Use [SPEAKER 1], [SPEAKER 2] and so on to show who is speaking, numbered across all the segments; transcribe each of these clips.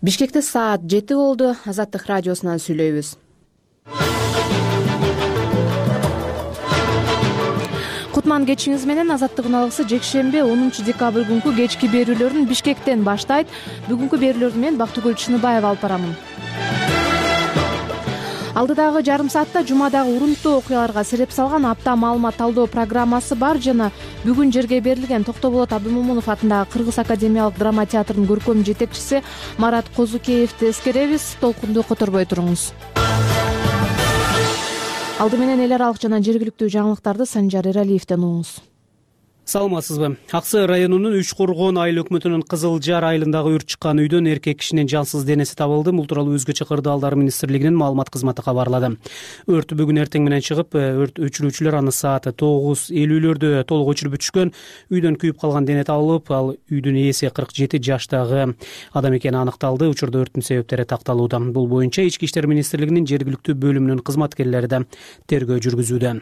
[SPEAKER 1] Бишкекте саат 7 болду. Азаттык радиосунан сүйлөйбүз. Кутман кечиңиз менен. Азаттык уналгысы жекшемби 10 декабрь күнкү кечки берүүлөрүн Бишкектен баштайт. Бүгүнкү берүүлөрдү мен Бактыгүл Чыныбаева алып барамын. Алдыдагы жарым саатта жумадагы урунттуу окуяларга сереп салган апта маалымат талдоо программасы бар жана бүгүн жерге берилген Токтоболот Абдымомунов атындагы Кыргыз академиялык драма театрынын көркөм жетекчиси Марат Козукеевди эскеребиз. Толкунду которбой туруңуз. Алды менен эл аралык жана жергиликтүү жаңылыктарды Санжар Эралиевден угуңуз.
[SPEAKER 2] Саламатсызбы? Ак Сай районунун Үч Коргон айыл өкмөтүнүн Кызыл Жар айылындагы өрт чыккан үйдөн эркек кишинин жансыз денеси табылды. Бул тууралуу Өзгөчө кырдаалдар министрлигинин маалымат кызматы кабарлады. Өрт бүгүн эртең менен чыгып, өрт өчүрүүчүлөр аны саат 9:50 толук өчүрүп бүтүшкөн. Үйдөн күйүп калган дене табылып, ал үйдүн ээси 47 жаштагы адам экени аныкталды. Учурда өрттүн себептери такталууда. Бул боюнча Ички иштер министрлигинин жергиликтүү бөлүмүнүн кызматкерлери да тергөө жүргүзүүдө.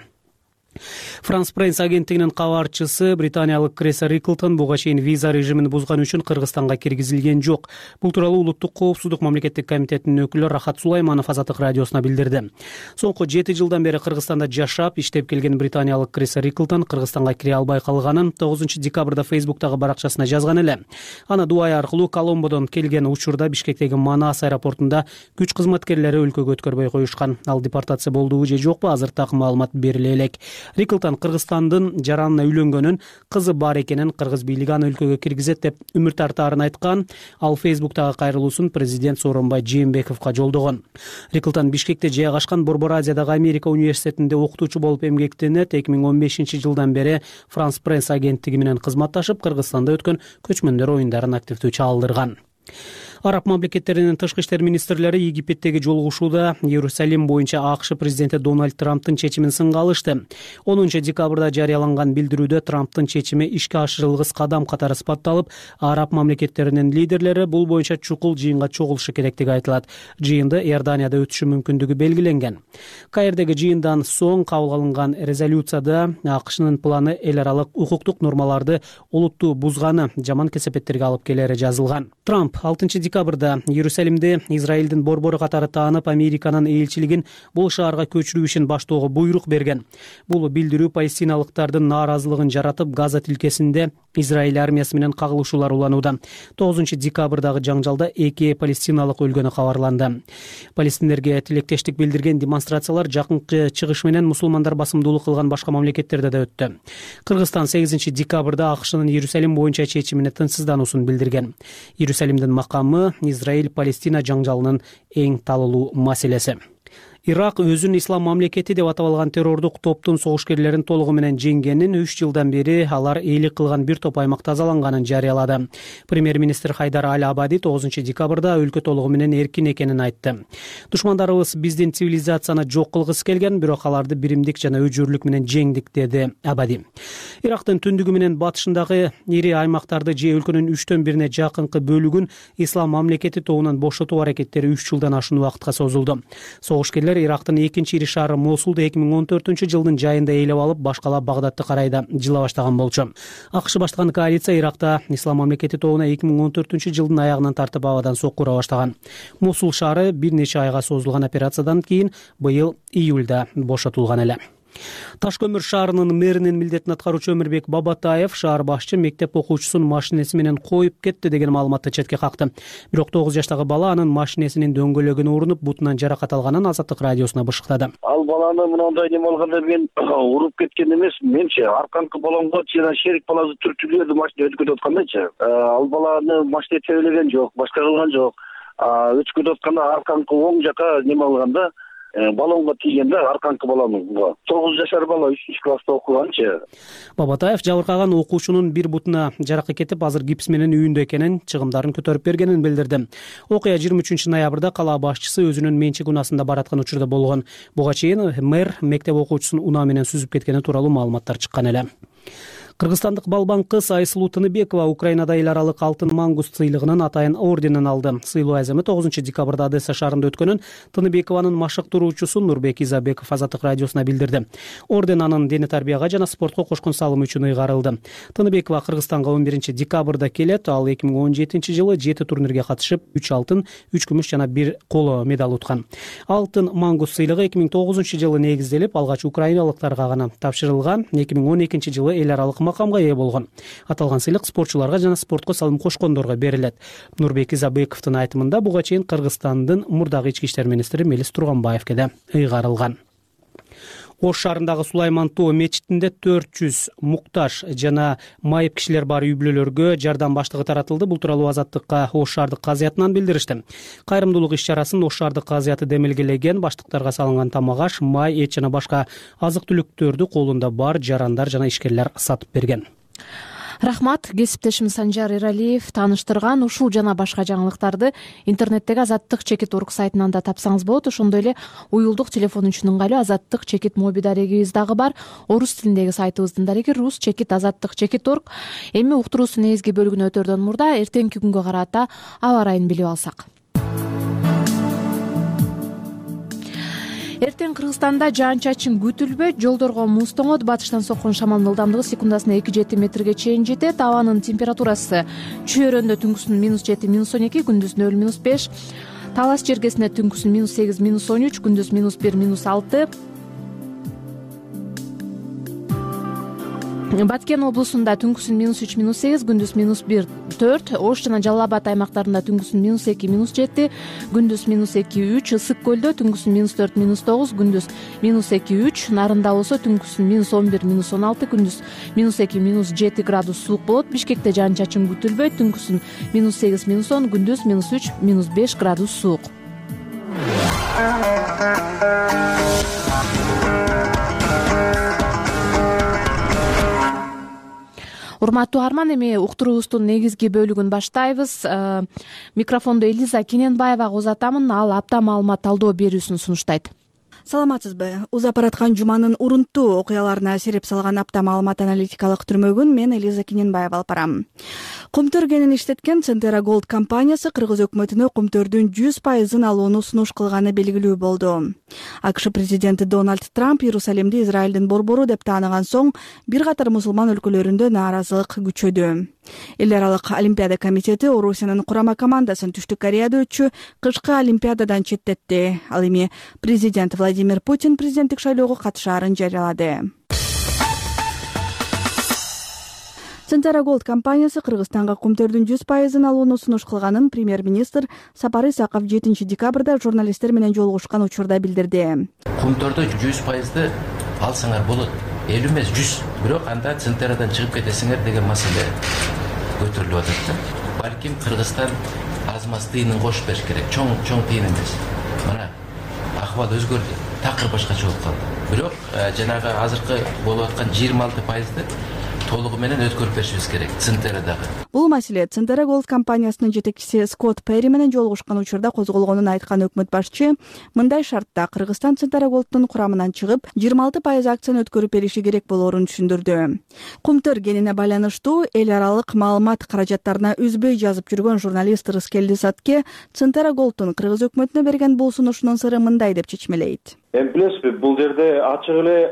[SPEAKER 2] France Press агенттигинин кабарчысы британиялык Кресса Риклтон буга чейин виза режимин бузганы үчүн Кыргызстанга киргизилген жок. Бул тууралуу Улуттук коопсуздук мамлекеттик комитетинин өкүлү Рахат Сулайманов Азаттык радиосуна билдирди. Соңку 7 жылдан бери Кыргызстанда жашап, иштеп келген британиялык Кресса Риклтон Кыргызстанга кире албай калганын 9 декабрда Фейсбуктагы баракчасына жазган эле. Аны Дубай аркылуу Коломбодон келген учурда Бишкектеги Манас аэропортунда күч кызматкерлери өлкөгө өткөрбөй коюшкан. Ал депортация болдубу же жокпу, азыр так маалымат бериле элек. Риклтон Кыргызстандын жаранына үйлөнгөнүн, кызы бар экенин, кыргыз бийлиги аны өлкөгө киргизет деп үмүт тартаарын айткан. Ал Фейсбуктагы кайрылуусун президент Сооронбай Жээнбековго жолдогон. Риклтон Бишкекте жайгашкан Борбор Азиядагы Америка университетинде окутуучу болуп эмгектенип, 2015 жылдан бери France Press агенттиги менен кызматташып, Кыргызстанда өткөн көчмөндөр оюндарын активдүү чагылдырган. Араб мамлекеттеринин тышкы иштер министрлери Египеттеги жолугушууда Иерусалим боюнча АКШ президенти Дональд Трамптын чечимин сынга алышты. 10 декабрда жарыяланган билдирүүдө Трамптын чечими ишке ашырылгыс кадам катары сыпатталып, араб мамлекеттеринин лидерлери бул боюнча чукул жыйынга чогулушу керектиги айтылат. Жыйынды Иорданияда өтүшү мүмкүндүгү белгиленген. Каирдеги жыйындан соң кабыл алынган резолюцияда АКШнын планы эл аралык укуктук нормаларды олуттуу бузганы, жаман кесепеттерге алып келери жазылган. Трамп 6 декабрда Иерусалимде Израилдин борбору катары таанып, Американын элчилигин бул шаарга көчүрүү ишин баштоого буйрук берген. Бул билдирүү палестиналыктардын нааразылыгын жаратып, Газа тилкесинде Израиль армиясы менен кагылышуулар уланууда. 9 декабрдагы жаңжалда 2 палестиналык өлгөнү кабарланды. Палестиндерге тилектештик билдирген демонстрациялар жакынкы чыгыш менен мусулмандар басымдуулук кылган башка мамлекеттерде да өттү. Кыргызстан 8 декабрда АКШнын Иерусалим боюнча чечимине тынчсыздануусун билдирген. Иерусалимдин макамы Израиль-Палестина жаңжалынын эң талуулуу маселеси. Ирак өзүн ислам мамлекети деп атап алган террордук топтун согушкерлерин толугу менен жеңгенин, 3 жылдан бери алар ээлик кылган бир топ аймак тазаланганын жарыялады. Премьер-министр Хайдар Аль-Абади 9 декабрда өлкө толугу менен эркин экенин айтты. Душмандарыбыз биздин цивилизацияны жок кылгысы келген, бирок аларды биримдик жана өжөрлүк менен жеңдик, деди Абади. Ирактын түндүгү менен батышындагы ири аймактарды же өлкөнүн 3/1 жакынкы бөлүгүн ислам мамлекети тобунан бошотуу аракеттери 3 жылдан ашуун убакытка созулду. Согушкерлер Ирактын экинчи ири шаары Мосулду 2014 жылдын жайында ээлеп алып, башкалап Багдадты карайда жыла баштаган болчу. АКШ баштаган коалиция Иракта ислам мамлекети тобуна 2014 жылдын аягынан тартып абадан сокку ура баштаган. Мосул шаары бир нече айга созулган операциядан кийин быйыл июлда бошотулган эле. Ташкөмүр шаарынын мэринин милдетин аткаруучу Өмүрбек Бабатаев шаар башчы мектеп окуучусун машинеси менен коюп кетти деген маалыматты четке какты. Бирок 9 жаштагы бала анын машинесинин дөңгөлөгүнө урунуп, бутунан жаракат алганын Азаттык радиосуна бышыктады.
[SPEAKER 3] Ал баланы мындай неме алганда мен уруп кеткен эмес, менче арканкы баламга жана шерик баласы түртүлдү, машина өтүп кетип аткандачы. Ал баланы машина тебелеген жок, башка кылган жок. Өтүп кетип атканда арканкы оң жака неме алганда балонго тийгенде арканкы баланга 9 жашар бала 3-класста окуганчы.
[SPEAKER 2] Бабатаев жабыркаган окуучунун бир бутуна жаракат кетип, азыр гипс менен үйүндө экенин, чыгымдарын көтөрүп бергенин билдирди. Окуя 23 ноябрда кала башчысы өзүнүн менчик унаасында бараткан учурда болгон. Буга чейин мэр мектеп окуучусун унаа менен сүзүп кеткени тууралуу маалыматтар чыккан эле. Кыргызстандык балбан кыз Айсулуу Тыныбекова Украинада эл аралык алтын мангус сыйлыгынын атайын орденин алды. Сыйлоо аземы 9 декабрда Одесса шаарында өткөнүн Тыныбекованын машыктыруучусу Нурбек Изабеков Азаттык радиосуна билдирди. Орден анын дене тарбияга жана спортко кошкон салымы үчүн ыйгарылды. Тыныбекова Кыргызстанга 11 декабрда келет. Ал 2017-жылы 7 турнирге катышып 3 алтын, 3 күмүш жана 1 коло медаль уткан. Алтын мангус сыйлыгы 2009-жылы негизделип, алгач украиналыктарга гана тапшырылган. 2012-жылы эл аралык макамга ээ болгон. Аталган сыйлык спортчуларга жана спортко салым кошкондорго берилет. Нурбек Изабековдун айтымында буга чейин Кыргызстандын мурдагы ички иштер министри Мелис Турганбаевге да ыйгарылган. Ош шаарындагы Сулайман Тоо мечитинде 400 муктаж жана майып кишилер бар үй-бүлөлөргө жардам баштыгы таратылды. Бул тууралуу Азаттыкка Ош шаардык казыятынан билдиришти. Кайрымдуулук иш-чарасын Ош шаардык казыяты демилгелеген, баштыктарга салынган тамак-аш, май, эт жана башка азык-түлүктөрдү колунда бар жарандар жана ишкерлер сатып берген.
[SPEAKER 1] Рахмат. Кесиптешим Санжар Эралиев тааныштырган. Ушул жана башка жаңылыктарды интернеттеги Азаттык-org сайтынан да тапсаңыз болот. Ошондой эле уюлдук телефон үчүн ыңгайлуу Азаттык- моби дарегибиз дагы бар. Орус тилиндеги сайтыбыздын дареги rus-azattik.org. Эми уктуруусунун негизги бөлүгүнө өтөрдөн мурда эртеңки күнгө карата аба ырайын билип алсак. Эртең Кыргызстанда жаан-чачын күтүлбөйт, жолдорго муз тоңот, батыштан соккон шамалдын ылдамдыгы секундасына 2-7 метрге чейин жетет. Абанын температурасы чөйрөндө түнкүсүн -7, -12, күндүз 0-5, Талас жергесинде түнкүсүн -8, -13, күндүз -1, -6. Баткен облусунда түнкүсүн -3, -8, күндүз -1, -4, Ош жана Жалал Абад аймактарында түнкүсүн -2, -7, күндүз -2, -3, Ысык көлдө түнкүсүн -4, -9, күндүз -2, -3, Нарында болсо түнкүсүн -11, -16, күндүз -2, -7 градус суук болот. Бишкекте жаан-чачын күтүлбөйт, түнкүсүн -8, -10, күндүз -3, -5 градус суук. Урматтуу арман, эми уктуруубуздун негизги бөлүгүн баштайбыз. Микрофондо Элиза Кененбаевага узатамын. Ал апта маалымат талдоо берүүсүн сунуштайт.
[SPEAKER 4] Саламатсызбы? Узап бараткан жуманын урунттуу окуяларына сереп салган апта маалымат аналитикалык түрмөгүн мен Элиза Кененбаева алып барам. Кумтөр кенин иштеткен Центера Голд компаниясы Кыргыз өкмөтүнө кумтөрдүн 100% алууну сунуш кылганы белгилүү болду. АКШ президенти Дональд Трамп Иерусалимди Израилдин борбору деп тааныган соң бир катар мусулман өлкөлөрүндө нааразылык күчөдү. Эл аралык Олимпиада комитети Орусиянын курама командасын Түштүк Кореяда өтчү кышкы Олимпиададан четтетти. Ал эми президент Владимир Путин президенттик шайлоого катышаарын жарыялады. Центера Голд компаниясы Кыргызстанга кумтөрдүн 100% алууну сунуш кылганын премьер-министр Сапар Исаков 7 декабрда журналисттер менен жолугушкан учурда билдирди.
[SPEAKER 5] Кумтөрдө 100% алсаңар болот. 50 эмес 100. Бирок анда Центерадан чыгып кетесиңер деген маселе көтөрүлүп атат да. Балким Кыргызстан аз-маз тыйынын кошуп бериш керек. Чоң тыйын эмес. Мына акыбал өзгөрдү. Такыр башкача болуп калды. Бирок жанагы азыркы болуп аткан 26%-ды толугу менен өткөрүп беришибиз керек Центерадагы.
[SPEAKER 4] Бул маселе Центера Голд компаниясынын жетекчиси Скотт Перри менен жолугушкан учурда козголгонун айткан өкмөт башчы мындай шартта Кыргызстан Центера Голдтун курамынан чыгып 26% акцияны өткөрүп бериши керек болоорун түшүндүрдү. Кумтөр кенине байланыштуу эл аралык маалымат каражаттарына үзбөй жазып жүргөн журналист Рыскелди Сатке Центера Голдтун Кыргыз өкмөтүнө берген бул сунушунун сыры мындай деп чечмелейт.
[SPEAKER 6] Эми билесизби, бул жерде ачык эле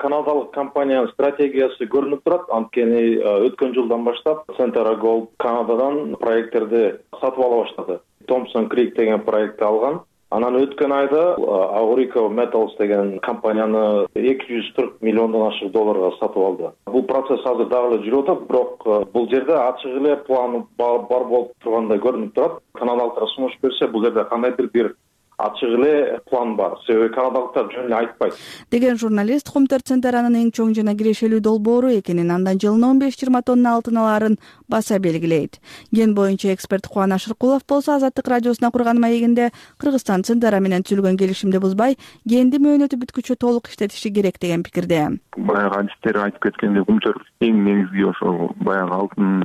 [SPEAKER 6] канадалык компаниянын стратегиясы көрүнүп турат. Анткени өткөн жылдан баштап Центера Голд Канададан проекттерди сатып ала баштады. Thompson Creek деген проектти алган. Анан өткөн айда Aurico Metals деген компанияны 240 миллиондон ашык долларга сатып алды. Бул процесс азыр дагы эле жүрүп атат, бирок бул жерде ачык эле план бар болуп тургандай көрүнүп турат. Канадалыктар сунуш берсе, бул жерде кандайдыр бир ачык эле план бар. Себеби канадалыктар жөн эле айтпайт.
[SPEAKER 4] Деген журналист Кумтөр Центеранын эң чоң жана кирешелүү долбоору экенин, андан жылына 15-20 тонна алтын алаарын баса белгилейт. Ген боюнча эксперт Кубаныч Шыркулов болсо Азаттык радиосуна курган маегинде Кыргызстан Центера менен түзүлгөн келишимди бузбай, генди мөөнөтү бүткүчө толук иштетиши керек деген пикирде.
[SPEAKER 7] Баягы адистер айтып кеткендей, Кумтөр эң негизги ошо баягы алтын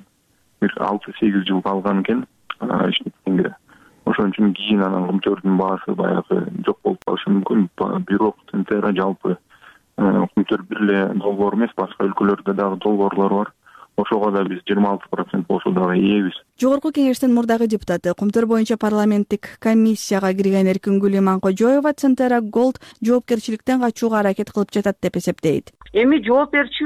[SPEAKER 7] бир 6-8 жыл калган экен иштеткенге. Ошон үчүн кийин анан Кумтөрдүн баасы баягы жок болуп калышы мүмкүн. Бирок Центера жалпы Өкмөттөр бир эле долбоор эмес, башка өлкөлөрдө дагы долбоорлор бар. Ошого да биз 26% болсо дагы ээбиз.
[SPEAKER 4] Жогорку кеңештин мурдагы депутаты, Кумтөр боюнча парламенттик комиссияга кирген Эркингүл Иманкожоева Центера Голд жоопкерчиликтен качууга аракет кылып жатат деп эсептейт.
[SPEAKER 8] Эми жооп берчү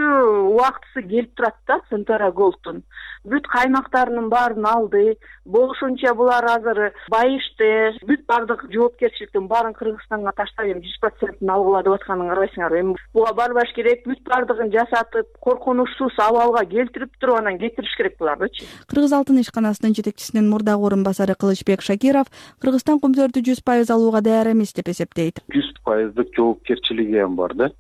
[SPEAKER 8] убактысы келип турат да Центера Голдтун. Бүт каймактарынын баарын алды. Болушунча булар азыр байышты. Бүт бардык жоопкерчиликтин баарын Кыргызстанга таштап, 100% алгыла деп атканын карабайсыңарбы? Эми буга барбаш керек, бүт бардыгын жасатып, коркунучсуз абалга келтирип туруп анан кетириш керек булардычы.
[SPEAKER 4] Кыргыз Алтын ишканасынын жетекчисинин мурдагы орун басары Кылычбек Шакиров Кыргызстан кумтөрдү 100% алууга даяр эмес деп эсептейт.
[SPEAKER 9] 100% жоопкерчилиги ham бар да.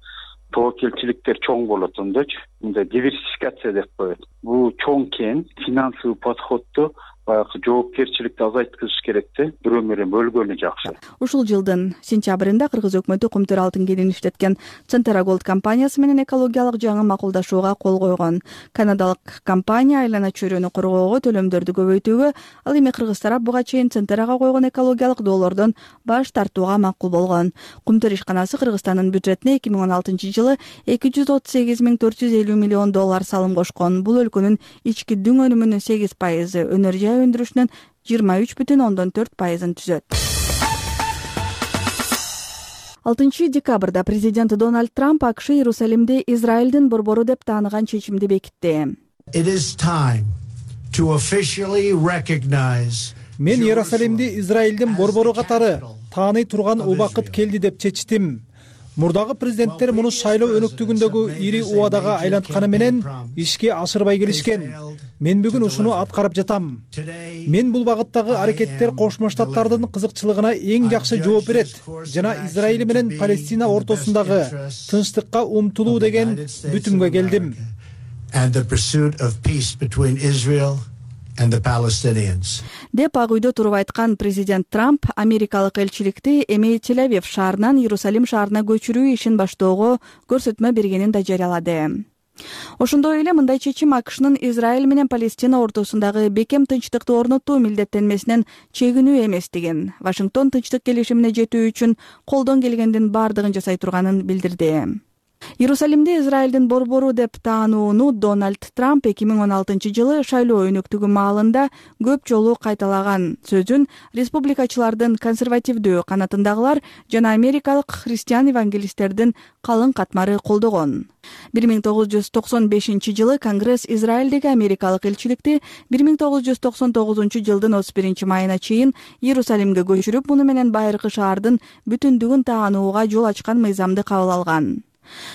[SPEAKER 9] Тобокелчиликтер чоң болот ондочу. Мындай диверсификация деп коет. Бул чоң кен, финансовый подходду баягы жоопкерчиликти азайткызыш керек да. Бирөө менен бөлгөнү жакшы.
[SPEAKER 4] Ушул жылдын сентябрында Кыргыз өкмөтү Кумтөр алтын кенин иштеткен Центера Голд компаниясы менен экологиялык жаңы макулдашууга кол койгон. Канадалык компания айлана чөйрөнү коргоого төлөмдөрдү көбөйтүүгө, ал эми Кыргыз тарап буга чейин Центерага койгон экологиялык доолордон баш тартууга макул болгон. Кумтөр ишканасы Кыргызстандын бюджетине 2016-жылы $238,450 миллион салым кошкон. Бул өлкөнүн ички дүң өнүмүнүн 8%, өнөр жай өндүрүшүнүн 23,4%-ын түзөт. 6 декабрда президент Дональд Трамп АКШ Иерусалимди Израилдин борбору деп тааныган чечимди бекитти.
[SPEAKER 10] Мен Иерусалимди Израилдин борбору катары тааный турган убакыт келди деп чечтим. Мурдагы президенттер муну шайлоо өнөктүгүндөгү ири убадага айлантканы менен ишке ашырбай келишкен. Мен бүгүн ушуну аткарып жатам. Мен бул багыттагы аракеттер Кошмо Штаттардын кызыкчылыгына эң жакшы жооп берет жана Израиль менен Палестина ортосундагы тынчтыкка умтулуу деген бүтүмгө келдим.
[SPEAKER 4] Деп Ак үйдө туруп айткан президент Трамп америкалык элчиликти эми Тель-Авив шаарынан Иерусалим шаарына көчүрүү ишин баштоого көрсөтмө бергенин да жарыялады. Ошондой эле мындай чечим АКШнын Израиль менен Палестина ортосундагы бекем тынчтыкты орнотуу милдеттенмесинен чегинүү эместигин, Вашингтон тынчтык келишимине жетүү үчүн колдон келгендин бардыгын жасай турганын билдирди. Иерусалимди Израилдин борбору деп таанууну Дональд Трамп 2016-жылы шайлоо өнөктүгү маалында көп жолу кайталаган сөзүн республикачылардын консервативдүү канатындагылар жана америкалык христиан евангелисттердин калың катмары колдогон. 1995-жылы Конгресс Израилдеги америкалык элчиликти 1999-жылдын 31 майына чейин Иерусалимге көчүрүп, муну менен байыркы шаардын бүтүндүгүн таанууга жол ачкан мыйзамды кабыл алган.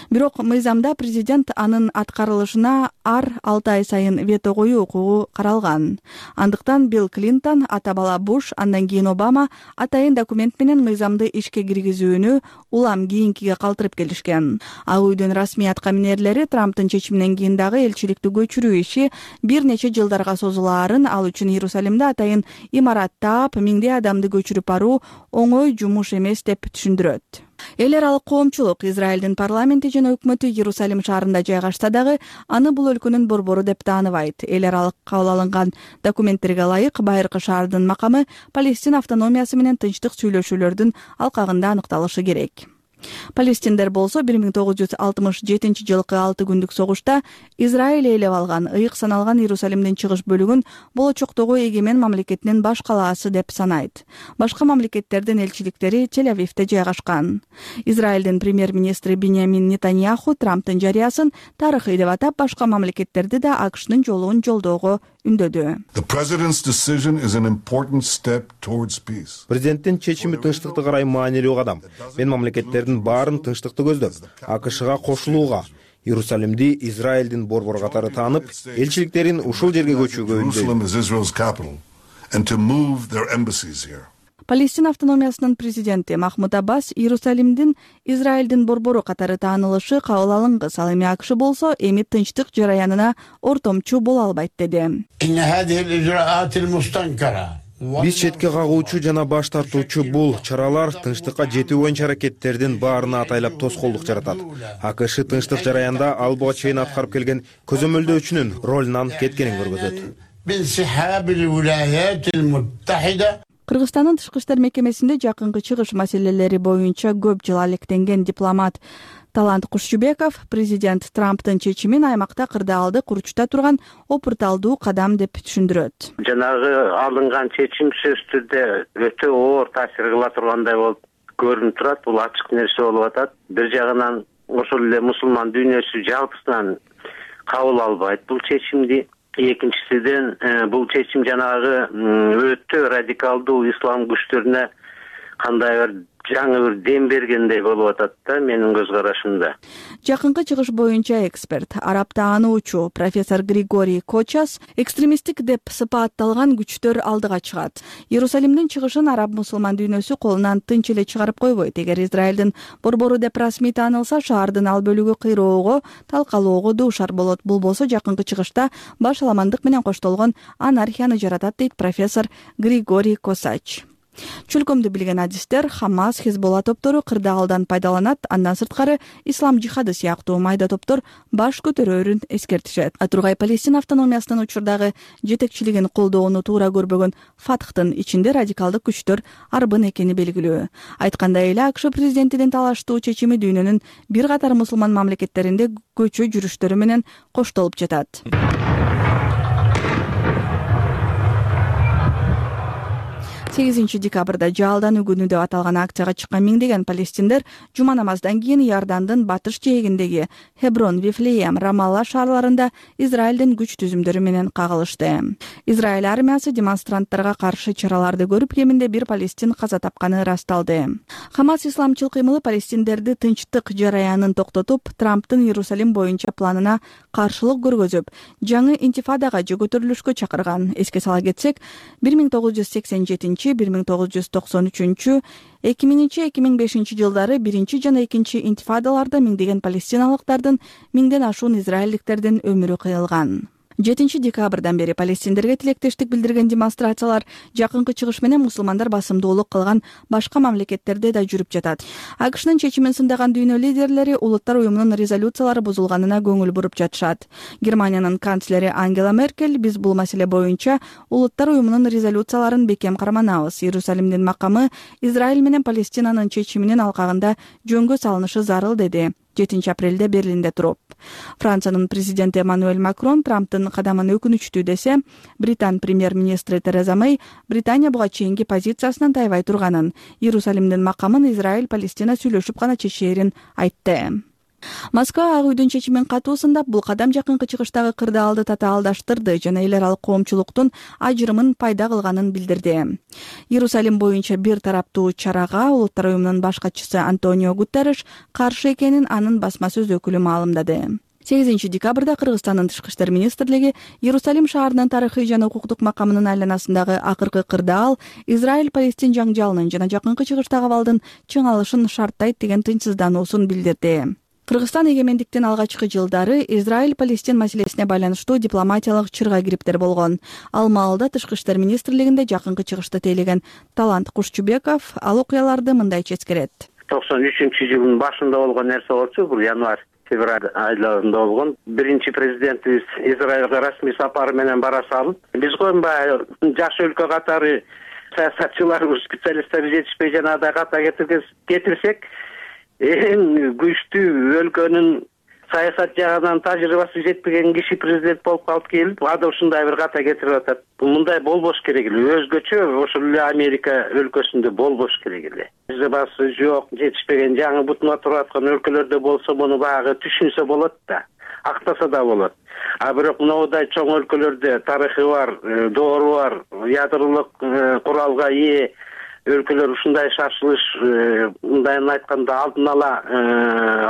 [SPEAKER 4] Бирок мыйзамда президент анын аткарылышына ар 6 ай сайын вето коюу укугу каралган. Андыктан Билл Клинтон, ата бала Буш, андан кийин Обама атайын документ менен мыйзамды ишке киргизүүнү улам кийинкиге калтырып келишкен. Ак үйдүн расмий аткаминерлери Трамптын чечиминен кийин дагы элчиликти көчүрүү иши бир нече жылдарга созулаарын, ал үчүн Иерусалимде атайын имарат таап, миңдей адамды көчүрүп баруу оңой жумуш эмес деп түшүндүрөт. Эл аралык коомчулук Израилдин парламенти жана өкмөтү Иерусалим шаарында жайгашса дагы аны бул өлкөнүн борбору деп тааныбайт. Эл аралык кабыл алынган документтерге ылайык байыркы шаардын макамы Палестина автономиясы менен тынчтык сүйлөшүүлөрдүн алкагында аныкталышы керек. Палестиндер болсо 1967-жылкы 6 күндүк согушта Израиль ээлеп алган, ыйык саналган Иерусалимдин чыгыш бөлүгүн болочоктогу эгемен мамлекетинин баш калаасы деп санайт. Башка мамлекеттердин элчиликтери Тель-Авивде жайгашкан. Израилдин премьер-министри Биньямин Нетаньяху Трамптын жарыясын тарыхый деп атап, башка мамлекеттерди да АКШнын жолун жолдоого үндөдү.
[SPEAKER 11] Президенттин чечими тынчтыкты карай маанилүү кадам. Мен мамлекеттердин баарын тынчтыкты көздөп, АКШга кошулууга, Иерусалимди Израилдин борбору катары таанып, элчиликтерин ушул жерге көчүүгө үндөйм.
[SPEAKER 4] Палестина автономиясынын президенти Махмуд Аббас Иерусалимдин Израилдин борбору катары таанылышы кабыл алынгыс, ал эми АКШ болсо эми тынчтык жараянына ортомчу боло албайт деди.
[SPEAKER 11] Биз четке кагуучу жана баш тартуучу бул чаралар тынчтыкка жетүү боюнча аракеттердин баарына атайлап тоскоолдук жаратат. АКШ тынчтык жараянда ал буга чейин аткарып келген көзөмөлдөөчүнүн ролунан кеткенин көргөзөт.
[SPEAKER 4] Кыргызстандын тышкы иштер мекемесинде жакынкы чыгыш маселелери боюнча көп жыл алектенген дипломат Талант Кушчубеков президент Трамптын чечимин аймакта кырдаалды курчута турган опурталдуу кадам деп түшүндүрөт.
[SPEAKER 12] Жанагы алынган чечим сөзсүз түрдө өтө оор таасир кыла тургандай болуп көрүнүп турат. Бул ачык нерсе болуп атат. Бир жагынан ошол эле мусулман дүйнөсү жалпысынан кабыл албайт бул чечимди. Экинчисиден бул чечим жанагы өтө радикалдуу ислам күчтөрүнө кандай бир жаңы бир дем бергендей болуп атат да менин көз карашымда.
[SPEAKER 4] Жакынкы чыгыш боюнча эксперт, араб таануучу профессор Григорий Кочас экстремисттик деп сыпатталган күчтөр алдыга чыгат. Иерусалимдин чыгышын араб мусулман дүйнөсү колунан тынч эле чыгарып койбойт. Эгер Израилдин борбору деп расмий таанылса, шаардын ал бөлүгү кыйроого, талкалоого дуушар болот. Бул болсо жакынкы чыгышта башаламандык менен коштолгон анархияны жаратат, дейт профессор Григорий Косач. Чүлкөмдү билген адистер Хамас, Хезболла топтору кырдаалдан пайдаланат, андан сырткары ислам жихады сыяктуу майда топтор баш көтөрөрүн эскертишет. Тургай Палестина автономиясынын учурдагы жетекчилигин колдоону туура көрбөгөн Фатхтын ичинде радикалдык күчтөр арбын экени белгилүү. Айткандай эле АКШ президентинин талаштуу чечими дүйнөнүн бир катар мусулман мамлекеттеринде көчө жүрүштөрү менен коштолуп жатат. 8 декабрда Жалдан үгүнү деп аталган акцияга чыккан миңдеген палестиндер жума намаздан кийин Иордандын батыш жээгиндеги Хеброн, Вифлеем, Рамалла шаарларында Израилдин күч түзүмдөрү менен кагылышты. Израиль армиясы демонстранттарга каршы чараларды көрүп, кеминде бир палестин каза тапканы ырасталды. Хамас исламчыл кыймылы палестиндерди тынчтык жараянын токтотуп, Трамптын Иерусалим боюнча планына каршылык көргөзүп, жаңы интифадага же көтөрүлүшкө чакырган. Эске сала кетсек, 1987 1993, 2000-2005 жылдары биринчи жана экинчи интифадаларда миңдеген палестиналыктардын, миңден ашуун израилдиктердин өмүрү кыйылган. 7 декабрдан бери палестиндерге тилектештик билдирген демонстрациялар жакынкы чыгыш менен мусулмандар басымдуулук кылган башка мамлекеттерде да жүрүп жатат. АКШнын чечимин сындаган дүйнө лидерлери Улуттар уюмунун резолюциялары бузулганына көңүл буруп жатышат. Германиянын канцлери Ангела Меркель: биз бул маселе боюнча Улуттар уюмунун резолюцияларын бекем карманабыз. Иерусалимдин макамы Израиль менен Палестинанын чечиминин алкагында жөнгө салынышы зарыл, деди 7 апрелде Берлинде туруп. Франциянын президенти Эммануэль Макрон Трамптын кадамын өкүнүчтүү десе, Британ премьер-министри Тереза Мэй Британия буга чейинки позициясынан тайбай турганын, Иерусалимдин макамын Израиль Палестина сүйлөшүп гана чечээрин айтты. Москва Ак үйдүн чечимин катуу сындап, бул кадам жакынкы чыгыштагы кырдаалды татаалдаштырды жана эл аралык коомчулуктун ажырымын пайда кылганын билдирди. Иерусалим боюнча бир тараптуу чарага Улуттар уюмунун баш катчысы Антонио Гутерриш каршы экенин анын басма сөз өкүлү маалымдады. 8 декабрда Кыргызстандын тышкы иштер министрлиги Иерусалим шаарынын тарыхый жана укуктук макамынын айланасындагы акыркы кырдаал Израиль-Палестин жаңжалынын жана жакынкы чыгыштагы абалдын чыңалышын шарттайт деген тынчсыздануусун билдирди. Кыргызстан эгемендиктин алгачкы жылдары Израиль-Палестин маселесине байланыштуу дипломатиялык чырга кириптер болгон. Ал маалда тышкы иштер министрлигинде жакынкы чыгышты тейлеген Талант Кушчубеков ал окуяларды мындайча эскерет.
[SPEAKER 12] 93-жылдын башында болгон нерсе болчу, бул январь-февраль айларында болгон. Биринчи президентибиз Израилга расмий сапары менен бара салып, биз койбай жаш өлкө катары саясатчылар, специалисттер жетишпей жанагыдай ката кетирсек, эң күчтүү өлкөнүн саясат жагынан тажрыйбасы жетпеген киши президент болуп алып келип, ада ушундай бир ката кетирип атат. Мындай болбош керек эле. Өзгөчө ошол эле Америка өлкөсүндө болбош керек эле. Тажрыйбасы жок, жетишпеген жаңы бутуна туруп аткан өлкөлөрдө болсо, муну баягы түшүнсө болот да, актаса да болот. А бирок мындай чоң өлкөлөрдө тарыхы бар, доору бар, ядролук куралга ээ өлкөлөр ушундай шашылыш, мындайын айтканда алдын ала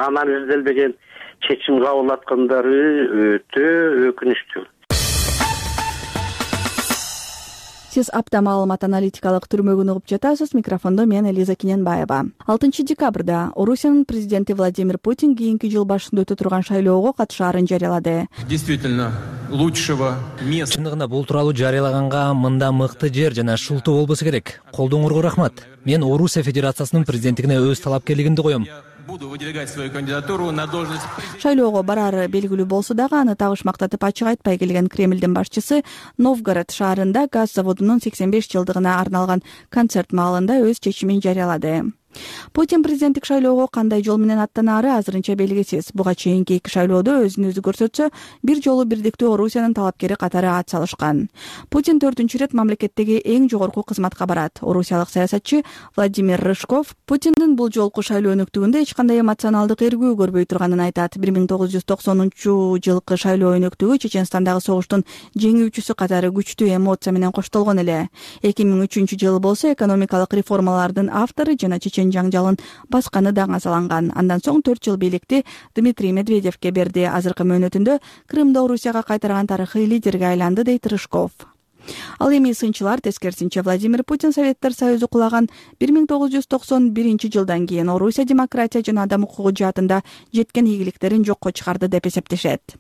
[SPEAKER 12] анализделбеген чечим кабыл аткандары өтө өкүнүчтүү.
[SPEAKER 4] Сиз апта маалымат аналитикалык түрмөгүн угуп жатасыз. Микрофондо мен Элиза Киненбаева. 6 декабрда Орусиянын президенти Владимир Путин кийинки жыл башында өтө турган шайлоого катышаарын жарыялады.
[SPEAKER 13] Действительно, лучшего места.
[SPEAKER 14] Чындыгында бул тууралуу жарыялаганга мында мыкты жер жана шултуу болбосо керек. Колдооңорго рахмат. Мен Орусия Федерациясынын президенттигине өз талапкерлигимди коем.
[SPEAKER 13] Буду выдвигать свою кандидатуру на должность президента.
[SPEAKER 4] Шайлоого барары белгилүү болсо дагы аны табыш мактатып ачык айтпай келген Кремлдин башчысы Новгород шаарында газ заводунун 85 жылдыгына арналган концерт маалында өз чечимин жарыялады. Путин президенттик шайлоого кандай жол менен аттанаары азырынча белгисиз. Буга чейинки 2 шайлоодо өзүн өзү көрсөтсө, бир жолу бирдиктүү Орусиянын талапкери катары ат салышкан. Путин 4-чү ирет мамлекеттеги эң жогорку кызматка барат. Орусиялык саясатчы Владимир Рыжков Путиндин бул жолку шайлоо өнөктүгүндө эч кандай эмоционалдык эргүү көрбөй турганын айтат. 1990-жылкы шайлоо өнөктүгү Чеченстандагы согуштун жеңүүчүсү катары күчтүү эмоция менен коштолгон эле. 2003-жылы болсо экономикалык реформалардын автору жана чечен жаңжалын басканы да аңазаланган. Андан соң 4 жыл бийликти Дмитрий Медведевке берди. Азыркы мөөнөтүндө Крымды Орусияга кайтарган тарыхый лидерге айланды, дейт Рыжков. Ал эми сынчылар тескерисинче Владимир Путин Советтер Союзу кулаган 1991-жылдан кийин Орусия демократия жана адам укугу жаатында жеткен ийгиликтерин жокко чыгарды деп эсептешет.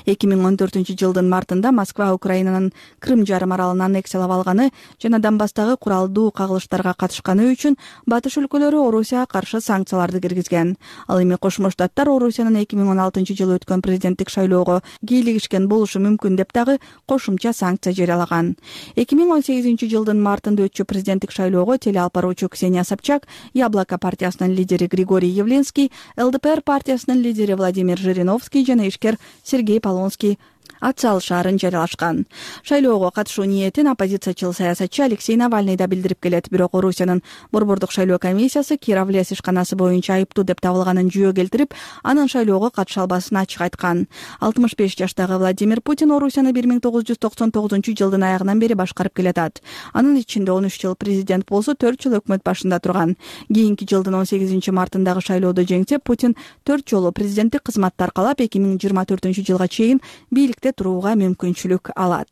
[SPEAKER 4] 2014-жылдын мартында Москва Украинанын Крым жарым аралын аннексиялап алганы жана Донбасстагы куралдуу кагылыштарга катышканы үчүн батыш өлкөлөрү Орусияга каршы санкцияларды киргизген. Ал эми Кошмо Штаттар Орусиянын 2016-жылы өткөн президенттик шайлоого кийлигишкен болушу мүмкүн деп дагы кошумча санкция жарыялаган. 2018-жылдын мартында өтчү президенттик шайлоого телеалп баруучу Ксения Собчак, Яблоко партиясынын лидери Григорий Явлинский, ЛДПР партиясынын лидери Владимир Жириновский жана ишкер Сергей Полонский ат салышаарын жарыялашкан. Шайлоого катышуу ниетин оппозициячыл саясатчы Алексей Навальный да билдирип келет. Бирок Орусиянын борбордук шайлоо комиссиясы Кировлес ишканасы боюнча айыптуу деп табылганын жүйө келтирип, анын шайлоого катыша албасын ачык айткан. 65 жаштагы Владимир Путин Орусияны 1999-жылдын аягынан бери башкарып келатат. Анын ичинде 13 жыл президент болсо, 4 жыл өкмөт башында турган. Кийинки жылдын 18-мартындагы шайлоодо жеңсе, Путин 4 жолу президенттик кызматты аркалап 2024-жылга чейин бийликте турууга мүмкүнчүлүк алат.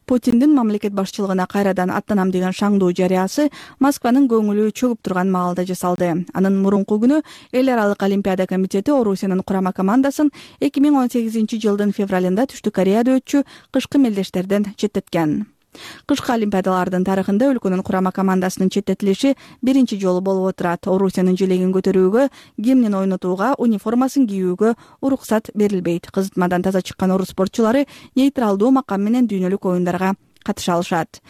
[SPEAKER 4] Путиндин мамлекет башчылыгына кайрадан аттанам деген шаңдуу жарыясы Москванын көңүлү чөгүп турган маалда жасалды. Анын мурунку күнү Эл аралык олимпиада комитети Орусиянын курама командасын 2018-жылдын февралында Түштүк Кореяда өтчү кышкы мелдештерден четтеткен. Кышкы олимпиадалардын тарыхында өлкөнүн курама командасынын четтетилиши биринчи жолу болуп отурат. Орусиянын желегин көтөрүүгө, гимнин ойнотууга, униформасын кийүүгө уруксат берилбейт. Кызытмадан таза чыккан орус спортчулары нейтралдуу макам менен дүйнөлүк оюндарга катыша алышат.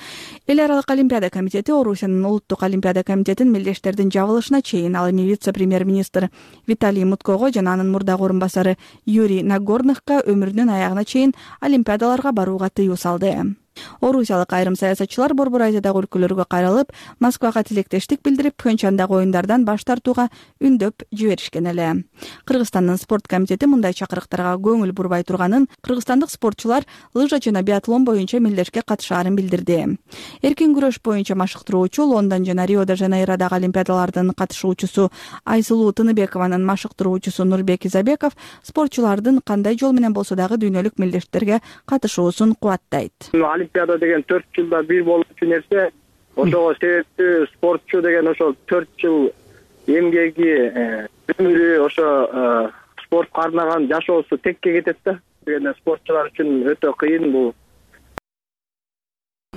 [SPEAKER 4] Эл аралык олимпиада комитети Орусиянын улуттук олимпиада комитетин мелдештердин жабылышына чейин, ал эми вице-премьер-министр Виталий Муткого жана анын мурдагы орун басары Юрий Нагорнохко өмүрүнүн аягына чейин олимпиадаларга барууга тыюу салды. Орусиялык айрым саясатчылар Борбор Азиядагы өлкөлөргө кайрылып, Москвага тилектештик билдирип, Пхенчандагы оюндардан баш тартууга үндөп жиберишкен эле. Кыргызстандын спорт комитети мындай чакырыктарга көңүл бурбай турганын, кыргызстандык спортчулар лыжа жана биатлон боюнча мелдешке катышаарын билдирди. Эркин күрөш боюнча машыктыруучу, Лондон жана Рио-де-Жанейродагы олимпиадалардын катышуучусу Айсулуу Тыныбекованын машыктыруучусу Нурбек Изабеков спортчулардын кандай жол менен болсо дагы дүйнөлүк мелдештерге катышуусун кубаттайт.
[SPEAKER 15] Олимпиада деген 4 жылда бир болчу нерсе. Ошого себептүү спортчу деген ошо 4 жыл эмгеги, өмүрү ошо спортко арнаган жашоосу текке кетет да. Дегенде спортчулар үчүн өтө кыйын бул.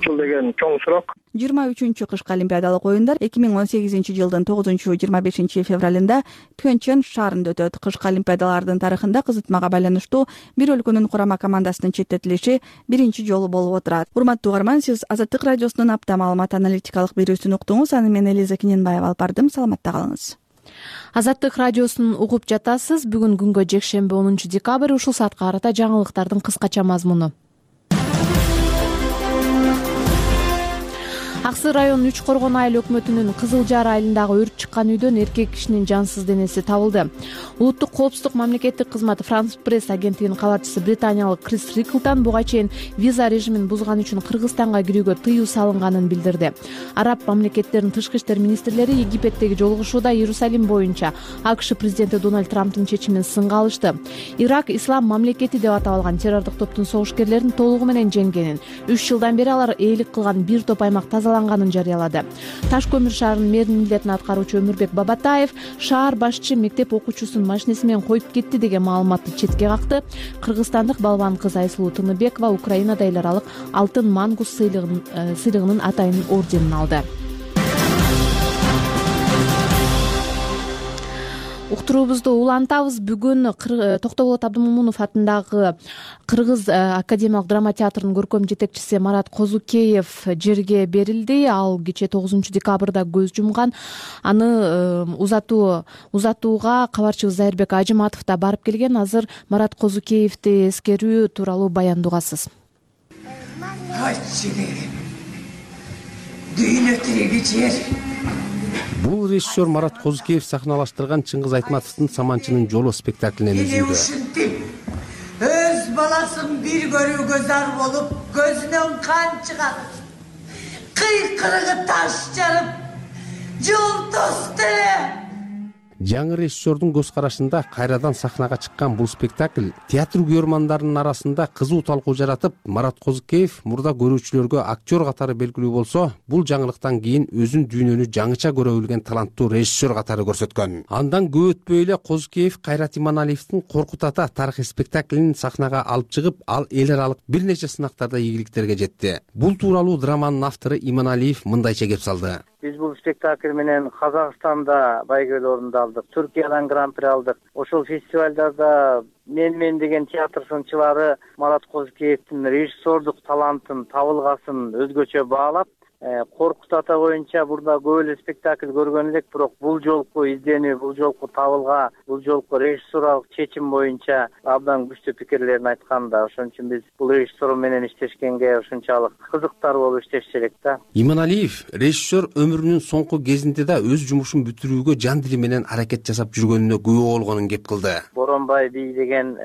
[SPEAKER 15] Деген чоң срок.
[SPEAKER 4] 23-чү кышкы олимпиадалык оюндар 2018-жылдын 9-25 февралында Пхенчан шаарында өтөт. Кышкы олимпиадалардын тарыхында кызытмага байланыштуу бир өлкөнүн курама командасынын четтетилиши биринчи жолу болуп отурат. Урматтуу угарман, сиз Азаттык радиосунун апта маалымат аналитикалык берүүсүн уктуңуз. Аны мен Элиза Киненбаева алып бардым. Саламатта калыңыз.
[SPEAKER 1] Азаттык радиосун угуп жатасыз. Бүгүн күнгө жекшемби 10 декабрь, ушул саатка карата жаңылыктардын кыскача мазмуну. Аксы районунун Үч Коргон айыл өкмөтүнүн Кызыл Жар айылындагы өрт чыккан үйдөн эркек кишинин жансыз денеси табылды. Улуттук коопсуздук мамлекеттик кызматы Франс пресс агенттигинин кабарчысы британиялык Крис Риклтон буга чейин виза режимин бузган үчүн Кыргызстанга кирүүгө тыюу салынганын билдирди. Араб мамлекеттеринин тышкы иштер министрлери Египеттеги жолугушууда Иерусалим боюнча АКШ президенти Дональд Трамптын чечимин сынга алышты. Ирак ислам мамлекети деп аталган террордук топтун согушкерлерин толугу менен жеңгенин, 3 жылдан бери алар ээлик кылган бир топ аймак тазаланганын жарыялады. Таш көмүр шаарынын мэринин милдетин аткаруучу Өмүрбек Бабатаев шаар башчы мектеп окуучусун машинеси менен коюп кетти деген маалыматты четке какты. Кыргызстандык балбан кыз Айсулуу Тыныбекова Украинада эл аралык алтын мангус сыйлыгынын атайын орденин алды. уктуруубузду улантабыз. Бүгүн Токтоболот Абдымомунов атындагы Кыргыз академиялык драма театрынын көркөм жетекчиси Марат Козукеев жерге берилди. Ал кечээ 9 декабрда көз жумган. Аны узатууга кабарчыбыз Зайырбек Ажыматов да барып келген. Азыр Марат Козукеевди эскерүү тууралуу баянды угасыз.
[SPEAKER 16] Дүйнө тиреги жер.
[SPEAKER 17] Бул режиссер Марат Козукеев сахналаштырган Чыңгыз Айтматовдун «Саманчынын жолу» спектаклинен үзүндү.
[SPEAKER 16] Ушинтип өз баласын бир көрүүгө зар болуп, көзүнөн кан чыгат. Кыйкырыгы таш жарып, жол тосты.
[SPEAKER 17] Жаңы режиссердун көз карашында кайрадан сахнага чыккан бул спектакль театр күйөрмандарынын арасында кызуу талкуу жаратып, Марат Козукеев мурда көрүүчүлөргө актер катары белгилүү болсо, бул жаңылыктан кийин өзүн дүйнөнү жаңыча көрө билген таланттуу режиссер катары көрсөткөн. Андан көп өтпөй эле Козукеев Кайрат Иманалиевдин Коркут ата тарыхый спектаклинин сахнага алып чыгып, ал эл аралык бир нече сынактарда ийгиликтерге жетти. Бул тууралуу драманын автору Иманалиев мындайча кеп салды.
[SPEAKER 18] Биз бул спектакль менен Казакстанда байгелүү орунду алдык, Түркиядан гран-при алдык. Ошол фестивалдарда мен деген театр сынчылары Марат Козукеевдин режиссердук талантын, табылгасын өзгөчө баалап, Коркут ата боюнча бурда көп эле спектакль көргөн элек, бирок бул жолку изденүү, бул жолку табылга, бул жолку режиссуралык чечим боюнча абдан күчтүү пикирлерин айткан да. Ошон үчүн биз бул режиссер менен иштешкенге ушунчалык кызыктар болуп иштешчү элек да.
[SPEAKER 17] Иманалиев режиссер өмүрүнүн соңку кезинде да өз жумушун бүтүрүүгө жан дили менен аракет жасап жүргөнүнө күбө болгонун кеп кылды.
[SPEAKER 18] Боронбай бий деген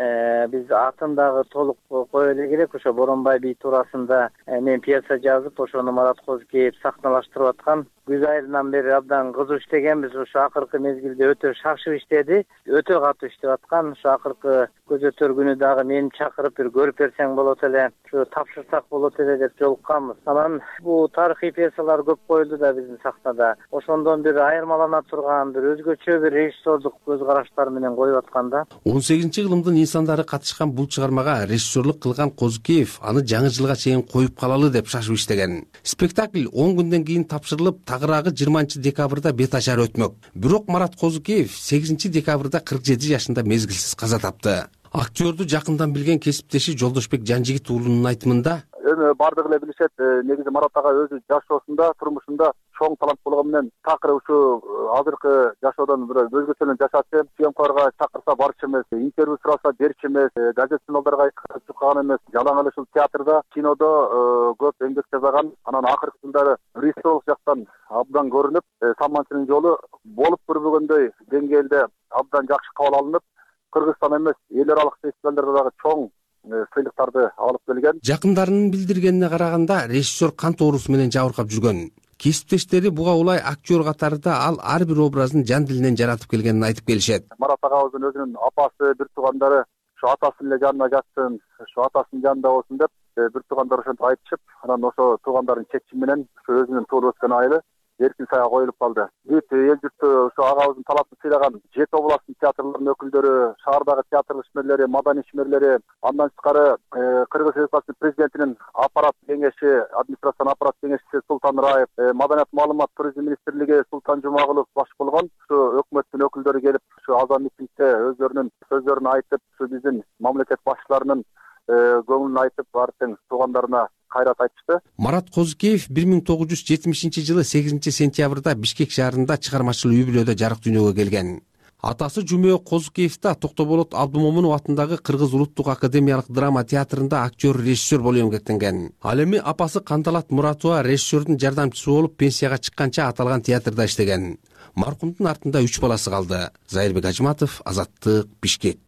[SPEAKER 18] биз атын дагы толук кое эле керек. Ошо Боронбай бий туурасында мен пьеса жазып, ошону Марат Козукеев сахналаштырып аткан. Күз айынан бери абдан кызуу иштегенбиз. Ошо акыркы мезгилде өтө шашып иштеди, өтө катуу иштеп аткан. Ошо акыркы көз өтөр күнү дагы мени чакырып бир көрүп берсең болот эле, ушу тапшырсак болот эле деп жолукканбыз. Анан бул тарыхый пьесалар көп коюлду да биздин сахнада. Ошондон бир айырмалана турган, бир өзгөчө бир режиссердук көз караштар менен коюп аткан да.
[SPEAKER 17] 18-кылымдын инсандары катышкан бул чыгармага режиссерлук кылган Козукеев аны жаңы жылга чейин коюп калалы деп шашып иштеген. Спектакль 10 күндөн кийин тапшырылып, тагыраагы 20 декабрда бет ачар өтмөк. Бирок Марат Козукеев 8 декабрда 47 жашында мезгилсиз каза тапты. Актерду жакындан билген кесиптеши Жолдошбек Жанжигит уулунун айтымында,
[SPEAKER 19] эми бардыгы эле билишет, негизи Марат ага өзү жашоосунда, турмушунда чоң талант болгон менен такыр ушу азыркы жашоодон бир өзгөчөлүк жашачы, съемкаларга чакырса барчу эмес, интервью сураса берчү эмес, газет журналдарга чыккан эмес, жалаң эле ушул театрда, кинодо көп эмгек жасаган. Анан акыркы жылдары режиссерлук жактан абдан көрүнүп, Саманчынын жолу болуп көрбөгөндөй деңгээлде абдан жакшы кабыл алынып, Кыргызстан эмес, эл аралык фестивалдарда дагы чоң сыйлыктарды алып келген.
[SPEAKER 17] Жакындарынын билдиргенине караганда, режиссер кант оорусу менен жабыркап жүргөн. Кесиптештери буга улай актер катарында ал ар бир образын жан дилинен жаратып келгенин айтып келишет.
[SPEAKER 19] Марат агабыздын өзүнүн апасы, бир туугандары ушу атасынын эле жанына жатсын, ушу атасынын жанында болсун деп бир туугандар ошентип айтышып, анан ошо туугандардын чечими менен ушу өзүнүн тууруп өскөн айылы эркин саяга коюлуп калды. Бүт эл журтту ушу агабыздын талантын сыйлаган жети областтын театрларынын өкүлдөрү, шаардагы театр ишмерлери, маданий ишмерлери, андан тышкары Кыргыз Республикасынын президентинин аппарат кеңеши, администрациянын аппарат кеңешчиси Султан Раев, Маданият маалымат туризм министрлиги Султан Жумагулов баш болгон ушу өкмөттүн өкүлдөрү келип, ушу аза митингде өзлөрүнүн сөздөрүн айтып, ушу биздин мамлекет башчыларынын көңүлүн айтып, баардык туугандарына кайрат айтышты.
[SPEAKER 17] Марат Козукеев 1970 жылы 8 сентябрда Бишкек шаарында чыгармачыл үй-бүлөдө жарык дүйнөгө келген. Атасы Жумөө Козукеев да Токтоболот Абдымомунов атындагы Кыргыз улуттук академиялык драма театрында актер, режиссер болуп эмгектенген. Ал эми апасы Кандалат Муратова режиссердун жардамчысы болуп пенсияга чыкканча аталган театрда иштеген. Маркумдун артында 3 баласы калды. Зайырбек Ажыматов, Азаттык, Бишкек.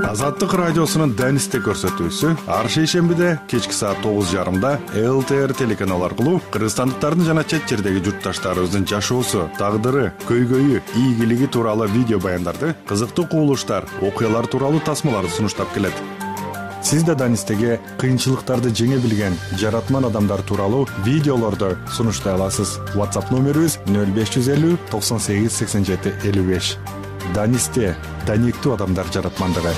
[SPEAKER 20] Азаттык радиосунун Данисте көрсөтүүсү ар шейшембиде кечки саат 9:30 ЛТР телеканалы аркылуу кыргызстандыктардын жана чет жердеги журтташтарыбыздын жашоосу, тагдыры, көйгөйү, ийгилиги тууралуу видео баяндарды, кызыктуу кубулуштар, окуялар тууралуу тасмаларды сунуштап келет. Сиз да Данистеге кыйынчылыктарды жеңе билген жаратман адамдар тууралуу видеолорду сунуштай аласыз. WhatsApp номерибиз 0550 98 87 55. Данисте даниктүү адамдар жаратмандыгы.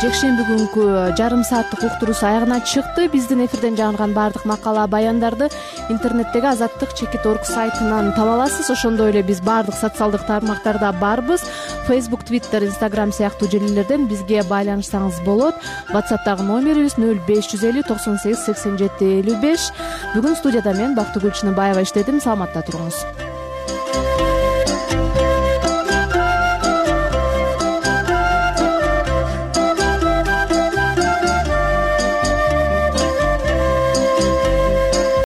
[SPEAKER 1] жекшемби күнкү жарым сааттык уктуруусу аягына чыкты. Биздин эфирден жаңырган баардык макала баяндарды интернеттеги azattik.org сайтынан таба аласыз. Ошондой эле биз баардык социалдык тармактарда барбыз. Facebook, Twitter, Instagram сыяктуу желилерден бизге байланышсаңыз болот. WhatsApp'тагы номерибиз 0550 98 87 55. Бүгүн студияда мен Бактыгүл Чыныбаева иштедим. Саламатта туруңуз.